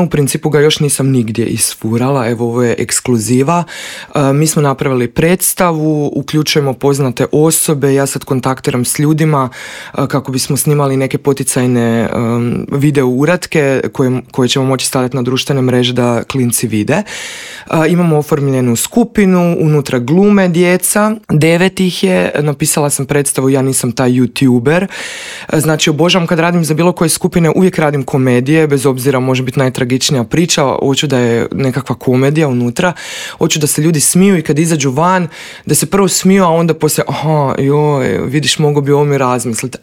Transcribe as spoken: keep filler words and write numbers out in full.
U principu ga još nisam nigdje isfurala, evo ovo je ekskluziva. Mi smo napravili predstavu, uključujemo poznate osobe, ja sad kontaktiram s ljudima kako bismo snimali neke poticajne video uratke koje, koje ćemo moći staviti na društvene mreže da klinci vide. Imamo oformljenu skupinu, unutra glume djeca, devet ih je, napisala sam predstavu Ja nisam taj youtuber. Znači obožavam kad radim za bilo koje skupine, uvijek radim komedije, bez obzira može biti najtragičnija priča, hoću da je nekakva komedija unutra, hoću da se ljudi smiju i kad izađu van, da se prvo smiju, a onda poslije, aha, joj, vidiš, mogu bi ovo mi razmisliti.